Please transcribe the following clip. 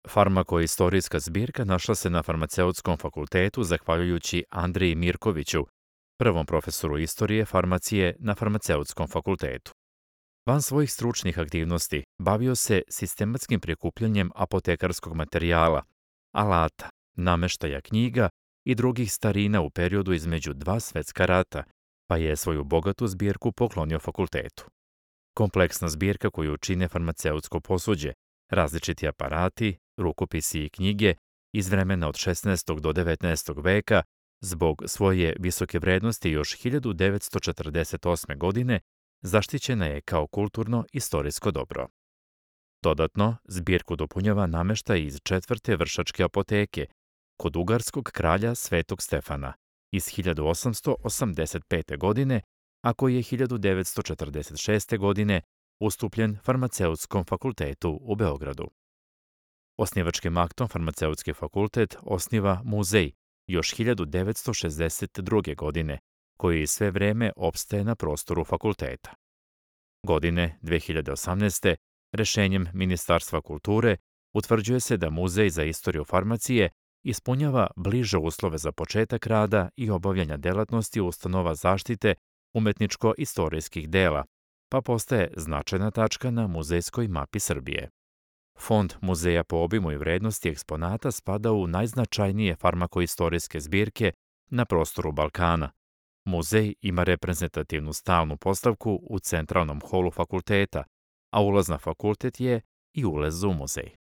Farmakoistorijska zbirka našla se na Farmaceutskom fakultetu zahvaljujući Andriji Mirkoviću, prvom profesoru istorije farmacije na Farmaceutskom fakultetu. Van svojih stručnih aktivnosti bavio se sistematskim prikupljanjem apotekarskog materijala, alata, nameštaja knjiga i drugih starina u periodu između dva svetska rata, pa je svoju bogatu zbirku poklonio fakultetu. Kompleksna zbirka koju čine farmaceutsko posuđe, različiti aparati, rukopisi i knjige iz vremena od 16. do 19. veka, zbog svoje visoke vrednosti još 1948. godine zaštićena je kao kulturno-istorijsko dobro. Dodatno, zbirku dopunjava nameštaj iz četvrte vršačke apoteke kod ugarskog kralja Svetog Stefana iz 1885. godine, a koji je 1946. godine ustupljen Farmaceutskom fakultetu u Beogradu. Osnivačkim aktom Farmaceutski fakultet osniva muzej još 1962. godine, koji sve vreme opstaje na prostoru fakulteta. Godine 2018. rešenjem Ministarstva kulture utvrđuje se da Muzej za istoriju farmacije ispunjava bliže uslove za početak rada i obavljanja delatnosti ustanova zaštite umetničko-istorijskih dela, pa postaje značajna tačka na muzejskoj mapi Srbije. Fond muzeja po obimu i vrednosti eksponata spada u najznačajnije farmakoistorijske zbirke na prostoru Balkana. Muzej ima reprezentativnu stalnu postavku u centralnom holu fakulteta, a ulaz na fakultet je i ulaz u muzej.